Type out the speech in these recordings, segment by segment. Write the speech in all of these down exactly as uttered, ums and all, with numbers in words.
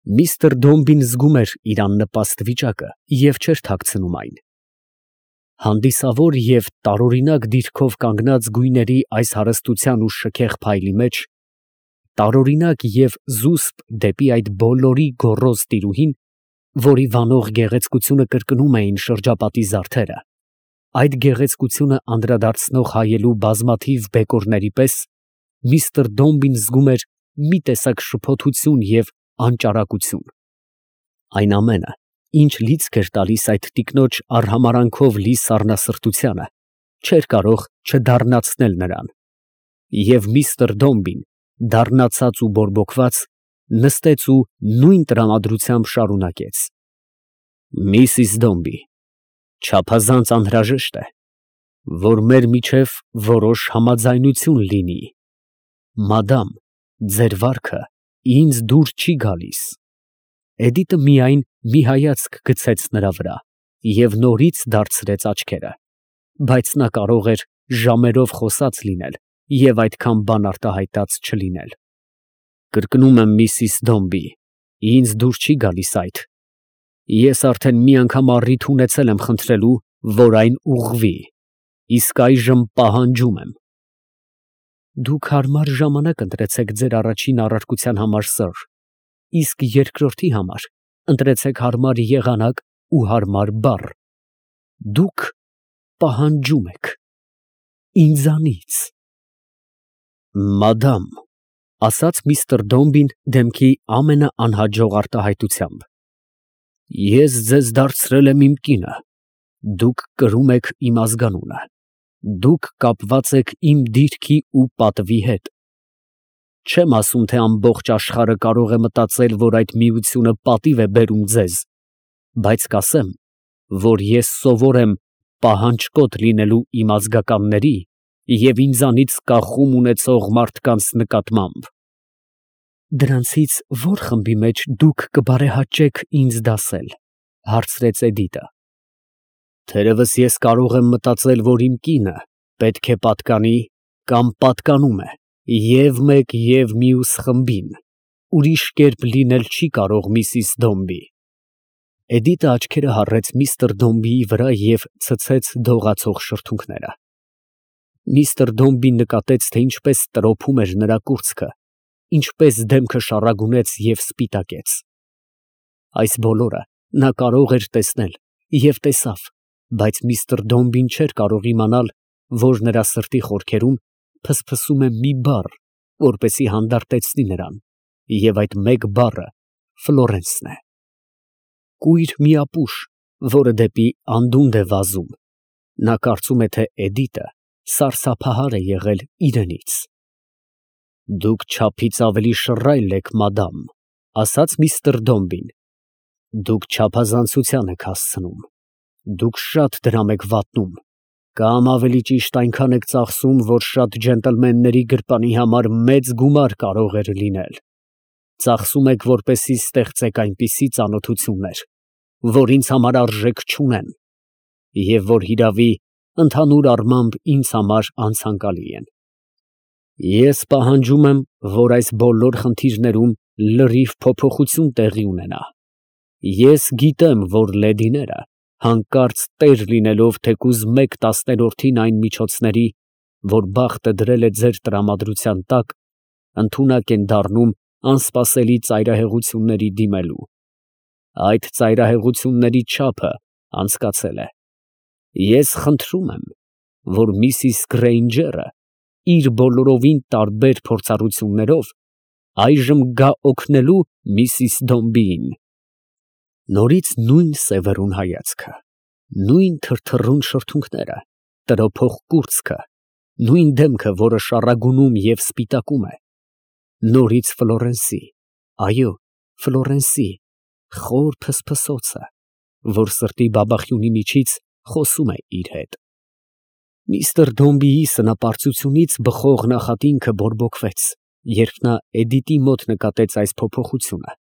Միստր Դոմբին զգում էր իր աննպաստ վիճակը և չէր թաքցնում այն. հանդիսավոր և տարօրինակ դիրքով կանգնած գույների այս հարստության ու շքեղ փայլի մեջ, տարօրինակ և զուսպ դեպի այդ բոլորի գոռոզ տիրուհին, որի վանող գեղեցկությունը կրկնում էին շրջապատի զարդերը, այդ գեղեցկությունը անդրադարձնող հայելու բազմաթիվ բեկորների պես, միստր Դոմբին զգում էր մի տեսակ շփոթություն և անճարակություն. այն ամենը, ինչ լիցք էր տալիս այդ տիկնոջ արհամարհանքով լի սառնասրտությանը, չէր կարող չդառնացնել նրան, և միստր Դոմբին, դառնացած ու բորբոքված, նստեց ու նույն տրամադրությամբ շարունակեց. «Միսիս Դոմբի, չափազանց անհրաժեշտ է, որ մեր միջև որոշ համաձայնություն լինի. մադամ, ձեր վարքը ինձ դուր չի գալիս»։ Էդիտը միայն մի հայացք գցեց նրա վրա և նորից դարձրեց աչքերը, բայց նա կարող էր ժամերով խոսած լինել և այդքան բան արտահայտած չլինել։ «Կրկնում եմ, միսիս Դոմբի, ինձ դուր չի գալիս այդ. ես արդեն մի անգամ առիթ ունեցել եմ խնդրելու, որ այն ուղղվի, իսկ այժմ պահանջում եմ»։ Դուք հարմար ժամանակ ընտրեցեք ձեր առաջին առարկության համար, սըր, իսկ երկրորդի համար ընտրեցեք հարմար եղանակ ու հարմար բառ. դուք պահանջում եք ինձանից։ «Մադամ», ֊ ասաց միստր Դոմբին դեմքի ամենաանհաջող արտահայտությամբ, «ես ձեզ դարձրել եմ իմ կինը, դուք կրում եք իմ ազգանունը, դուք կապված եք իմ դիրքի ու պատվի հետ։ Չեմ ասում, թե ամբողջ աշխարհը կարող է մտածել, որ այդ միությունը պատիվ է բերում ձեզ, բայց կասեմ, որ ես սովոր եմ պահանջկոտ լինելու իմ ազգականների և ինձանից կախում ունեցող մարդկանց նկատմամբ»։ «Դրանցից ո՞ր խմբի մեջ դուք կբարեհաճեք ինձ դասել», ֊ հարցրեց Էդիտը։ «Թերևս ես կարող եմ մտածել, որ իմ կինը պետք է պատկանի կամ պատկանում է և մեկ և մյուս խմբին, ուրիշ կերպ լինել չի կարող, միսիս Դոմբի»։ Էդիտը աչքերը հառեց միստր Դոմբիի վրա և ցցեց դողացող շրթունքները։ Միստր Դոմբին նկատեց, թե ինչպես տրոփում էր նրա կուրծքը, ինչպես դեմքը շառագունեց և սպիտակեց։ Այս բոլորը նա կարող էր տեսնել և տեսավ, բայց միստր Դոմբին չէր կարող իմանալ, որ նրա սրտի խորքերում փսփսում է մի բառ, որպեսզի հանդարտեցնի նրան, և այդ մեկ բառը Ֆլորենսն է։ Կույր մի ապուշ, որը դեպի անդունդը է վազում, նա կարծում է, թե Էդիտը սարսափահար է եղել իրենից։ «Դուք չափից ավելի շռայլ եք, մադամ», ֊ ասաց միստր Դոմբին, «դուք չափազանցության եք հասցնում, դուք շատ դրամ եք վատնում, կամ ավելի ճիշտ այնքան եք ծախսում, որ շատ ջենտլմենների գրպանի համար մեծ գումար կարող էր լինել։ Ծախսում եք, որպեսզի ստեղծեք այնպիսի ծանոթություններ, որ ինձ համար արժեք չունեն, և որ, հիրավի, ընդհանուր առմամբ ինձ համար անցանկալի են։ Ես պահանջում եմ, որ այս բոլոր խնդիրներում լրիվ փոփոխություն տեղի ունենա։ Ես գիտեմ, որ լեդիները, հանկարծ տեր լինելով թեկուզ մեկ տասներորդին այն միջոցների, որ բախտը դրել է ձեր տրամադրության տակ, ընդունակ են դառնում անսպասելի ծայրահեղությունների դիմելու։ Այդ ծայրահեղությունների չափը անցկացել է։ Ես խնդրում եմ, որ միսիս Գրեյնջերը իր բոլորովին տարբեր փորձառություններով այժմ գա օգնելու միսիս Դոմբիին»։ Նորից նույն սևեռուն հայացքը, նույն թրթռուն շրթունքները, տրոփող կուրծքը, նույն դեմքը, որը շառագունում և սպիտակում է, նորից Ֆլորենսի, այո, Ֆլորենսի խոր փսփսոցը, որ սրտի բաբախյունի միջից խոսում է իր հետ։ Միստր Դոմբիի սնապարծությունից բխող նախատինքը բորբոքվեց, երբ նա Էդիտի մոտ նկատեց այս փոփոխությունը,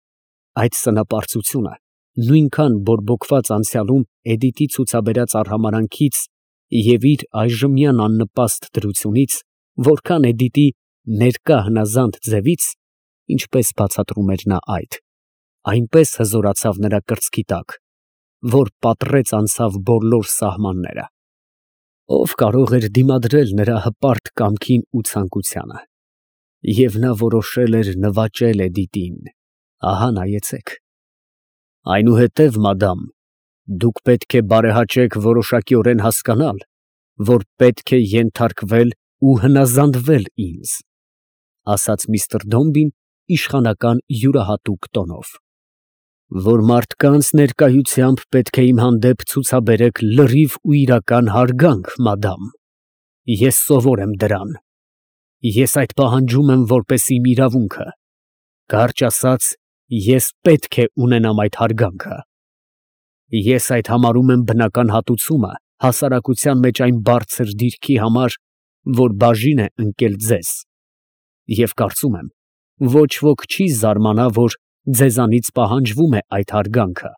այդ սնապարծությունը նույնքան բորբոքված անցյալում Էդիտի ցուցաբերած արհամարհանքից և իր այժմյան աննպաստ դրությունից, որքան Էդիտի ներկա հնազանդ ձևից, ինչպես բացատրում էր նա այդ, այնպես հզորացավ նրա կրծքի տակ, որ պատռեց անցավ բոլոր սահմանները։ Ով կարող էր դիմադրել նրա հպարտ կամքին ու ցանկությանը։ Եվ նա որոշել էր նվաճել Էդիտին, ահա նայեցեք։ Այնուհետև, մադամ, դուք պետք է բարեհաճեք որոշակիորեն հասկանալ, որ պետք է ենթարկվել ու հնազանդվել ինձ, ասաց միստր Դոմբին իշխանական յուրահատուկ տոնով, որ մարդկանց ներկայությամբ պետք է իմ հանդեպ ցուցաբերեք լրիվ ու իրական հարգանք, մադամ, ես սովոր եմ դրան, ես այդ պահանջում եմ որպես իմ իրավունքը, կարճ ասած, ես պետք է ունենամ այդ հարգանքը, ես այդ համարում եմ բնական հատուցումը հասարակության մեջ այն բարձր դիրքի համար, որ բաժին է ընկել ձեզ, և կարծում եմ, ոչ ոք չի զարմանա, որ ձեզանից պահանջվում է այդ հարգանքը,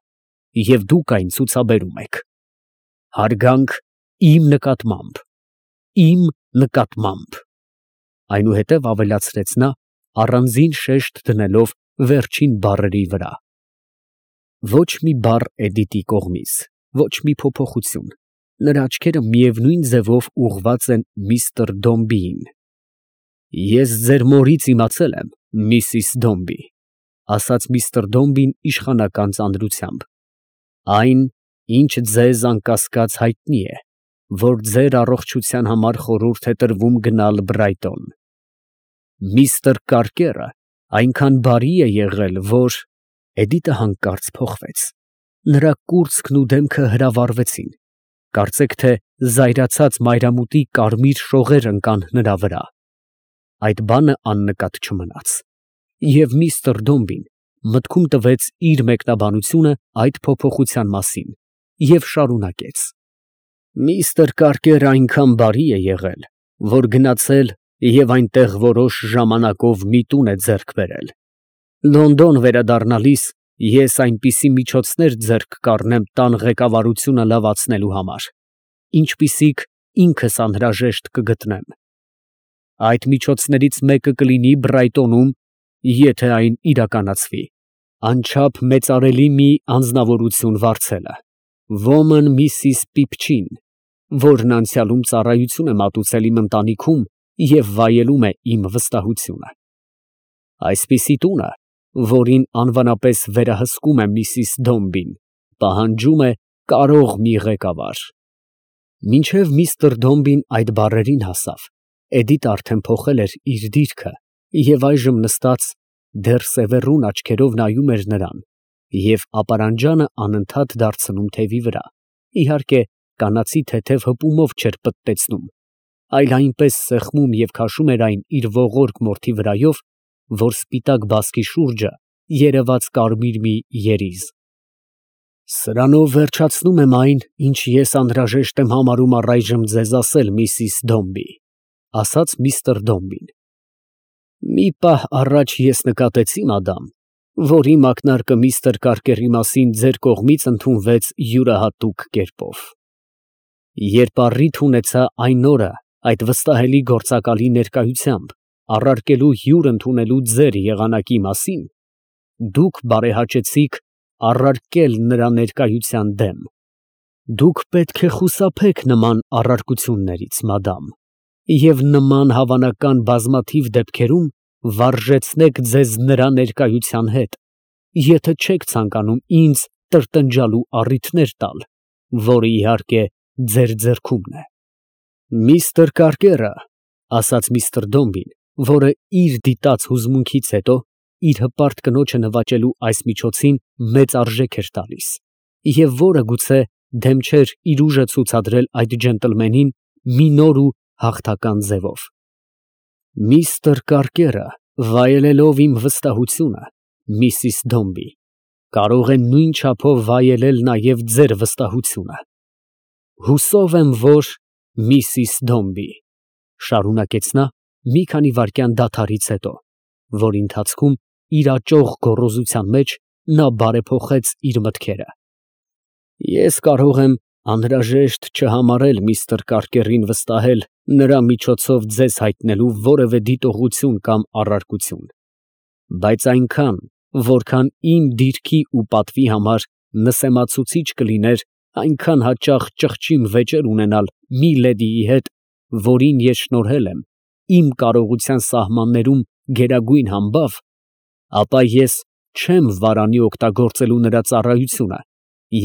և դուք այն ցուցաբերում եք, հարգանք իմ նկատմամբ, իմ նկատմամբ, այնուհետև ավելացրեց նա, առանձին շեշտ դնելով վերջին բառերի վրա. ոչ մի բառ Էդիտի կողմից, ոչ մի փոփոխություն, նրա աչքերը միևնույն ձևով ուղղված են միստր Դոմբիին։ Ես ձեր մորից իմացել եմ, միսիս Դոմբի, ասաց միստր Դոմբին իշխանական ծանրությամբ, այն, ինչ ձեզ անկասկած հայտնի է, որ ձեր առողջության համար խորհուրդ է տրվում գնալ Բրայտոն։ Միստր Կարկերը այնքան բարի է եղել, որ… Էդիտը հանկարծ փոխվեց, նրա կուրծքն ու դեմքը հրավառվեցին, կարծեք թե զայրացած մայրամուտի կարմիր շողեր ընկան նրա վրա։ Այդ բանը աննկատ չմնաց, և միստր Դոմբին մտքում տվեց իր մեկնաբանությունը այդ փոփոխության մասին և շարունակեց. Միստր Կարկերը այնքան բարի է եղել, որ գնացել և այնտեղ որոշ ժամանակով մի տուն է ձեռք բերել։ Լոնդոն վերադառնալիս ես այնպիսի միջոցներ ձեռք կառնեմ տան ղեկավարությունը լավացնելու համար, ինչպիսիք ինքս անհրաժեշտ կգտնեմ։ Այդ միջոցներից մեկը կլինի Բրայտոնում, եթե այն իրականացվի, անչափ մեծարելի մի անձնավորություն վարձելը, ոմն միսիս Պիպչին, որն անցյալում ծառայություն է մատուցել իմ ընտանիքում և վայելում է իմ վստահությունը։ Այսպիսի տունը, որին անվանապես վերահսկում է միսիս Դոմբին, պահանջում է կարող մի ղեկավար։ Մինչև միստր Դոմբին այդ բառերին հասավ, Էդիտը արդեն փոխել էր իր դիրքը և այժմ նստած, դեռ սևեռուն աչքերով նայում էր նրան և ապարանջանը անընդհատ դարձնում թևի վրա, իհարկե, կանացի թեթև հպումով չէր պտտեցնում, այլ այնպես սեղմում և քաշում էր այն իր ողորկ մորթի վրայով, որ սպիտակ բասկի շուրջը երևաց կարմիր մի երիզ։ Սրանով վերջացնում եմ այն, ինչ ես անհրաժեշտ եմ համարում առայժմ ձեզ ասել, միսիս Դոմբի, ասաց միստր Դոմբին։ Մի պահ առաջ ես նկատեցի, մադամ, որ իմ ակնարկը միստր Կարկերի մասին ձեր կողմից ընդունվեց յուրահատուկ կերպով։ Երբ առիթ ունեցա այն օրը այդ վստահելի գործակալի ներկայությամբ առարկելու հյուր ընդունելու ձեր եղանակի մասին, դուք բարեհաճեցիք առարկել նրա ներկայության դեմ։ Դուք պետք է խուսափեք նման առարկություններից, մադամ, և նման հավանական բազմաթիվ դեպքերում վարժեցնեք ձեզ նրա ներկայության հետ, եթե չեք ցանկանում ինձ տրտնջալու առիթներ տալ, որը, իհարկե, ձեր ձեռքումն է։ Միստր Կարկերը, ասաց միստր Դոմբին, որը իր դիտած հուզմունքից հետո իր հպարտ կնոջը նվաճելու այս միջոցին մեծ արժեք էր տալիս, և որը գուցե դեմ չէր իր ուժը ցուցադրել այդ ջենտլմենին մի նոր ու հաղթական ձևով։ Միստր Կարկերը, վայելելով իմ վստահությունը, միսիս Դոմբի, կարող է նույն չափով վայելել նաև ձեր վստահությունը։ Հուսով եմ, որ… Միսիս Դոմբի, շարունակեց նա մի քանի վայրկյան դադարից հետո, որի ընթացքում իր աճող գոռոզության մեջ նա բարեփոխեց իր մտքերը, ես կարող եմ անհրաժեշտ չհամարել միստր Կարկերին վստահել նրա միջոցով ձեզ հայտնելու որևէ դիտողություն կամ առարկություն, բայց այնքան, որքան իմ դիրքի ու պատվի համար նսեմացուցիչ կլիներ այնքան հաճախ ճղճիմ վեճեր ունենալ մի լեդիի հետ, որին ես շնորհել եմ իմ կարողության սահմաններում գերագույն համբավ, ապա ես չեմ վարանի օգտագործելու նրա ծառայությունը,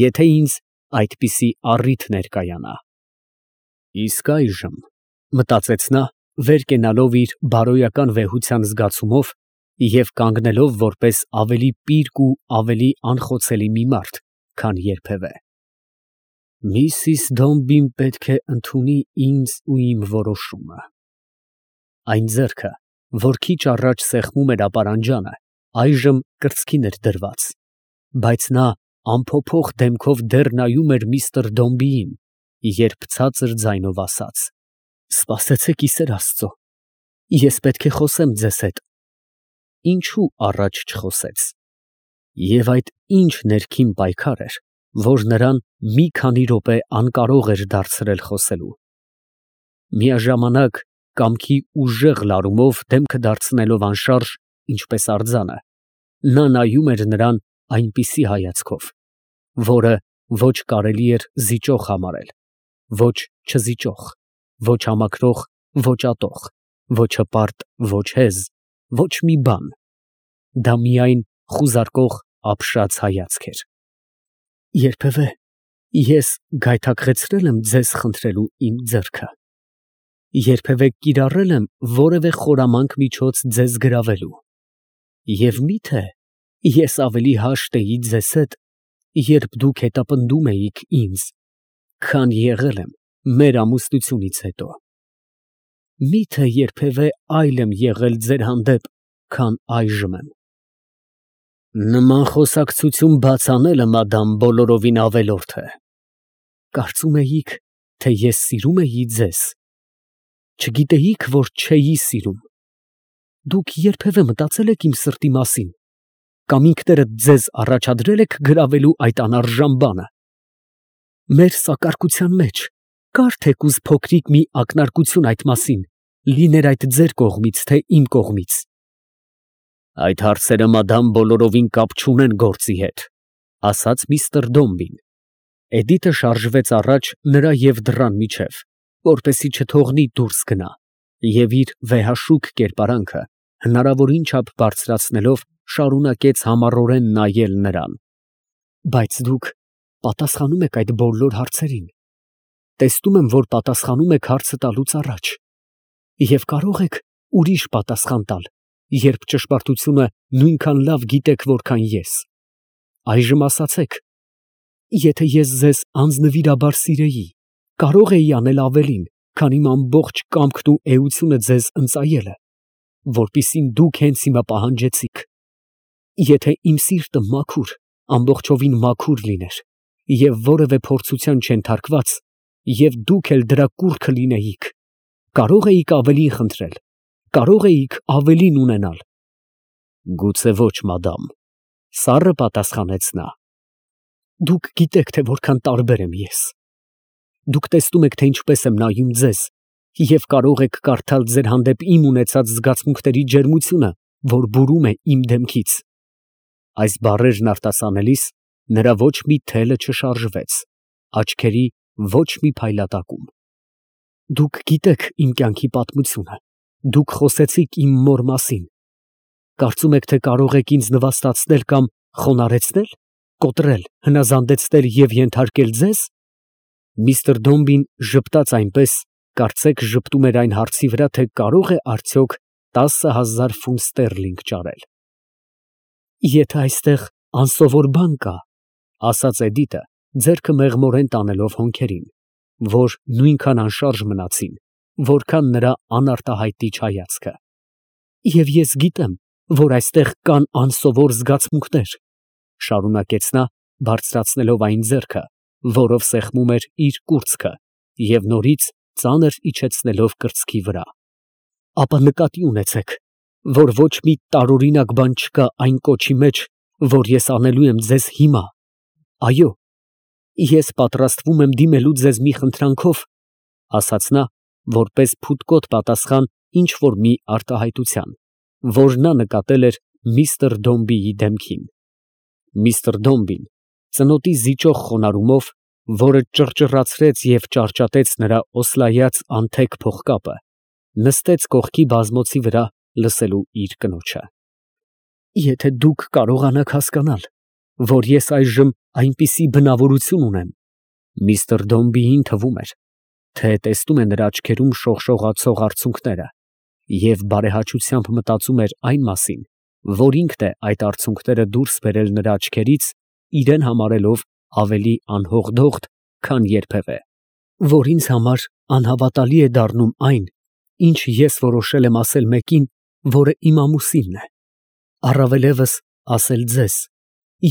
եթե ինձ այդպիսի առիթ ներկայանա։ Իսկ այժմ, մտածեց նա, վեր կենալով իր բարոյական վեհության զգացումով և կանգնելով որպես ավելի պիրկ ու ավելի անխոցելի մի մարդ, քան երբևէ, միսիս Դոմբին պետք է ընդունի ինձ ու իմ որոշումը։ Այն ձեռքը, որ քիչ առաջ սեղմում էր ապարանջանը, այժմ կրծքին էր դրված, բայց նա անփոփոխ դեմքով դեռ նայում էր միստր Դոմբիին, երբ ցածր ձայնով ասաց. «Սպասեցեք, ի սեր Աստծո, ես պետք է խոսեմ ձեզ հետ»։ Ինչու առաջ չխոսեց։ Եվ այդ ինչ ներքին պայքար էր, որ նրան մի քանի րոպե անկարող էր դարձրել խոսելու։ Միաժամանակ կամքի ուժեղ լարումով դեմքը դարձնելով անշարժ, ինչպես արձանը, նա նայում էր նրան այնպիսի հայացքով, որը ոչ կարելի էր զիջող համարել, ոչ չզիջող, ոչ համակրող, ոչ ատող, ոչ հպարտ, ոչ հեզ, ոչ մի բան, դա միայն խուզարկող ապշած հայացք էր։ Երբևէ ես գայթակղեցրել եմ ձեզ խնդրելու իմ ձեռքը, երբևէ կիրառել եմ որևէ խորամանկ միջոց ձեզ գրավելու, և մի՞թե ես ավելի հաշտ էի ձեզ հետ, երբ դուք հետապնդում էիք ինձ, քան եղել եմ մեր ամուսնությունից հետո։ Մի՞թե երբևէ այլ եմ եղել ձեր հանդեպ, քան այժմ եմ։ Նման խոսակցություն բաց անելը, մադամ, բոլորովին ավելորդ է։ Կարծում էիք, թե ես սիրում էի ձեզ, չգիտեիք, որ չէի սիրում։ Դուք երբևէ մտածել եք իմ սրտի մասին, կամ ինքներդ ձեզ առաջադրել եք գրավելու այդ անարժան բանը։ Մեր սակարկության մեջ կար թեկուզ փոքրիկ մի ակնարկություն այդ մասին, լիներ այդ ձեր կողմից, թե իմ կողմից։ Այդ հարցերը, մադամ, բոլորովին կապ չունեն գործի հետ, ասաց միստր Դոմբին։ Էդիտը շարժվեց առաջ նրա և դռան միջև, որպեսզի չթողնի դուրս գնա, և իր վեհաշուք կերպարանքը հնարավորին չափ բարձրացնելով շարունակեց համառորեն նայել նրան։ Բայց դուք պատասխանում եք այդ բոլոր հարցերին, տեսնում եմ, որ պատասխանում եք հարցը տալուց առաջ, և կարող եք ուրիշ պատասխան տալ, երբ ճշմարտությունը նույնքան լավ գիտեք, որքան ես։ Այժմ ասացեք, եթե ես ձեզ անձնվիրաբար սիրեի, կարող էի անել ավելին, քան իմ ամբողջ կամքն ու էությունը ձեզ ընծայելը, որպեսզի դուք հենց հիմա պահանջեցիք։ Եթե իմ սիրտը մաքուր, ամբողջովին մաքուր լիներ, և որևէ փորձության չենթարկված, և դուք էլ դրա կուռքը լինեիք, կարող էիք ավելին խնդրել, կարող էիք ավելին ունենալ։ Գուցե ոչ, մադամ, սառը պատասխանեց նա։ Դուք գիտեք, թե որքան տարբեր եմ ես։ Դուք տեսնում եք, թե ինչպես եմ նայում ձեզ, և կարող եք կարդալ ձեր հանդեպ իմ ունեցած զգացմունքների ջերմությունը, որ բուրում է իմ դեմքից։ Այս բառերն արտասանելիս նրա ոչ մի թելը չշարժվեց, աչքերի ոչ մի փայլատակում։ Դուք գիտեք իմ կյանքի պատմությունը, դուք խոսեցիք իմ մոր մասին, կարծում եք, թե կարող եք ինձ նվաստացնել կամ խոնարհեցնել, կոտրել, հնազանդեցնել և ենթարկել ձեզ։ Միստր Դոմբին ժպտաց այնպես, կարծեք ժպտում էր այն հարցի վրա, թե կարող է արդյոք տասը հազար ֆունտ ստերլինգ ճարել։ Եթե այստեղ անսովոր բան կա, ասաց Էդիտը, ձեռքը մեղմորեն տանելով հոնքերին, որ նույնքան անշարժ մնացին, որքան նրա անարտահայտիչ հայացքը, և ես գիտեմ, որ այստեղ կան անսովոր զգացմունքներ, շարունակեց նա, բարձրացնելով այն ձեռքը, որով սեղմում էր իր կուրծքը և նորից ծանր իջեցնելով կրծքի վրա, ապա նկատի ունեցեք, որ ոչ մի տարօրինակ բան չկա այն կոչի մեջ, որ ես անելու եմ ձեզ հիմա։ Այո, ես պատրաստվում եմ դիմելու ձեզ մի խնդրանքով, ասաց նա, որպես փութկոտ պատասխան ինչ որ մի արտահայտության, որ նա նկատել էր միստր Դոմբիի դեմքին։ Միստր Դոմբին ծնոտի զիջող խոնարհումով, որը ճռճռացրեց և ճարճատեց նրա օսլայած անթեք փողկապը, նստեց կողքի բազմոցի վրա լսելու իր կնոջը։ Եթե դուք կարողանաք հասկանալ, որ ես այժմ այնպիսի բնավորություն ունեմ, միստր Դոմբիին թվում էր, թե տեսնում է նրա աչքերում շողշողացող արցունքները և բարեհաճությամբ մտածում էր այն մասին, որ ինքն է այդ արցունքները դուրս բերել նրա աչքերից, իրան համարելով ավելի անհողդողդ, քան երբևէ, որ ինձ համար անհավատալի է դառնում այն, ինչ ես որոշել եմ ասել մեկին, որը իմ ամուսինն է, առավելևս ասել ձեզ,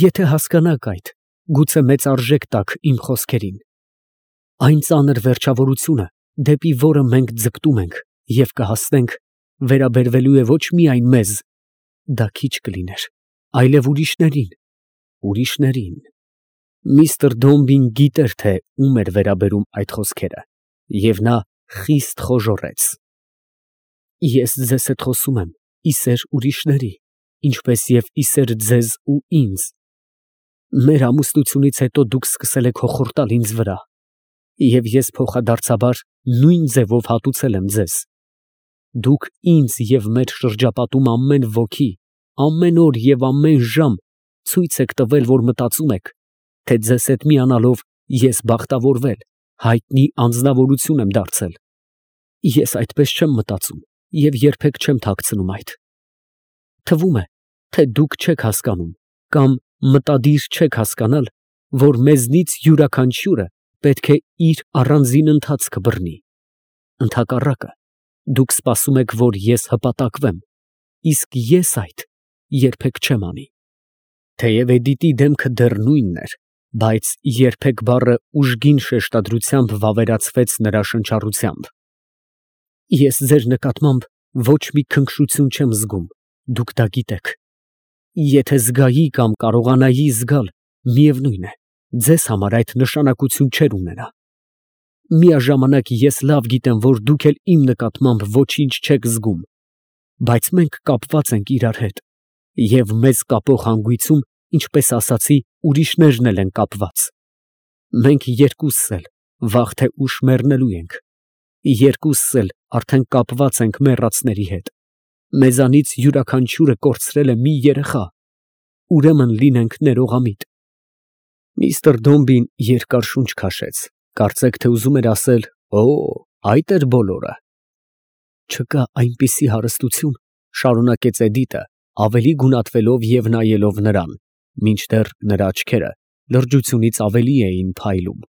եթե հասկանաք այդ, գուցե մեծ արժեք տաք իմ խոսքերին։ Այն ծանր վերջավորությունը, դեպի որը մենք ձգտում ենք և կհասնենք, վերաբերվելու է ոչ միայն մեզ, դա քիչ կլիներ, այլև ուրիշներին, ուրիշներին։ Միստր Դոմբին գիտեր, թե ում էր վերաբերում այդ խոսքերը, և նա խիստ խոժոռեց։ Ես ձեզ հետ խոսում եմ ի սեր ուրիշների, ինչպես և ի սեր ձեզ ու ինձ։ Մեր ամուսնությունից հետո դուք սկսել եք հոխորտալ ինձ վրա, և ես փոխադարձաբար նույն ձևով հատուցել եմ ձեզ։ Դուք ինձ և մեր շրջապատում ամեն ոքի, ամեն օր և ամեն ժամ ցույց եք տվել, որ մտածում եք, թե ձեզ հետ միանալով ես բախտավորվել, հայտնի անձնավորություն եմ դարձել։ Ես այդպես չեմ մտածում և երբեք չեմ թաքցնում այդ։ Թվում է, թե դուք չեք հասկանում կամ մտադիր չեք հասկանալ, որ մեզնից յուրաքանչյուրը պետք է իր առանձին ընթացքը բռնի։ Ընդհակառակը, դուք սպասում եք, որ ես հպատակվեմ, իսկ ես այդ երբեք չեմ անի։ Թեև Էդիտի դեմքը դեռ նույնն էր, բայց երբեք բառը ուժգին շեշտադրությամբ վավերացվեց նրա շնչառությամբ։ Ես ձեր նկատմամբ ոչ մի քնքշություն չեմ զգում, դուք դա գիտեք։ Եթե զգայի կամ կարողանայի զգալ, միևնույն է, ձեզ համար այդ նշանակություն չէր ունենա։ Միաժամանակ ես լավ գիտեմ, որ դուք էլ իմ նկատմամբ ոչինչ չեք զգում, բայց մենք կապված ենք իրար հետ, և մեզ կապող հանգույցում, ինչպես ասացի, ուրիշներն էլ են կապված։ Մենք երկուսս էլ վաղ թե ուշ մեռնելու ենք, երկուսս էլ արդեն կապված ենք մեռածների հետ, մեզանից յուրաքանչյուրը կորցրել է մի երեխա, ուրեմն լինենք ներողամիտ։ Միստր Դոմբին երկար շունչ քաշեց, կարծեք թե ուզում էր ասել. «Օ, այդ էր բոլորը»։ Չկա այնպիսի հարստություն, շարունակեց Էդիտը, ավելի գունատվելով և նայելով նրան, մինչդեռ նրա աչքերը լրջությունից ավելի էին փայլում,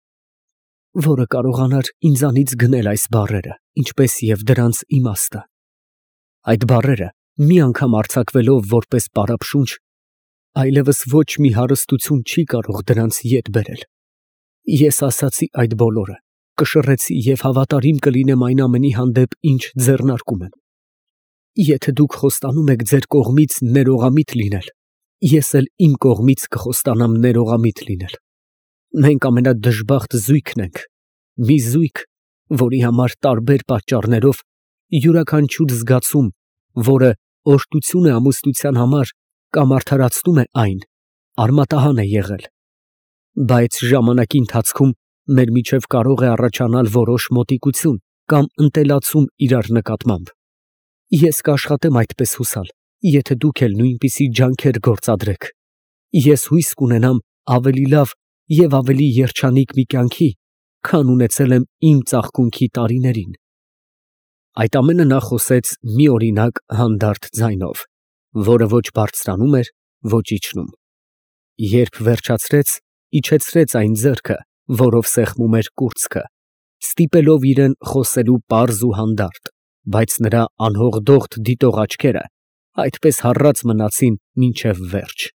որը կարողանար ինձանից գնել այս բառերը, ինչպես և դրանց իմաստը։ Այդ բառերը մի անգամ արձակվելով որպես պարապշունչ, այլևս ոչ մի հարստություն չի կարող դրանց ետ բերել։ Ես ասացի այդ բոլորը, կշռեցի և հավատարիմ կլինեմ այն ամենի հանդեպ, ինչ ձեռնարկում եմ։ Եթե դուք խոստանում եք ձեր կողմից ներողամիտ լինել, ես էլ իմ կողմից կխոստանամ ներողամիտ լինել։ Մենք ամենադժբախտ զույգն ենք, մի զույգ, որի համար տարբեր պատճառներով յուրաքանչյուր զգացում, որը օրհնություն է ամուսնության համար կամ արդարացնում է այն, արմատահան է եղել։ Բայց ժամանակի ընթացքում մեր միջև կարող է առաջանալ որոշ մոտիկություն կամ ընտելացում իրար նկատմամբ։ Ես կաշխատեմ այդպես հուսալ, եթե դուք էլ նույնպիսի ջանքեր գործադրեք։ Ես հույս կունենամ ավելի լավ և ավելի երջանիկ մի կյանքի, քան ունեցել եմ իմ ծաղկունքի տարիներին։ Այդ ամենը նա խոսեց մի օրինակ հանդարտ ձայնով, որը ոչ բարձրանում էր, ոչ իջնում։ Երբ վերջացրեց, իջեցրեց այն ձեռքը, որով սեղմում էր կուրծքը, ստիպելով իրան խոսելու պարզ ու հանդարտ, բայց նրա անհողդողդ դիտող աչքերը այդպես հառած մնացին մինչև վերջ։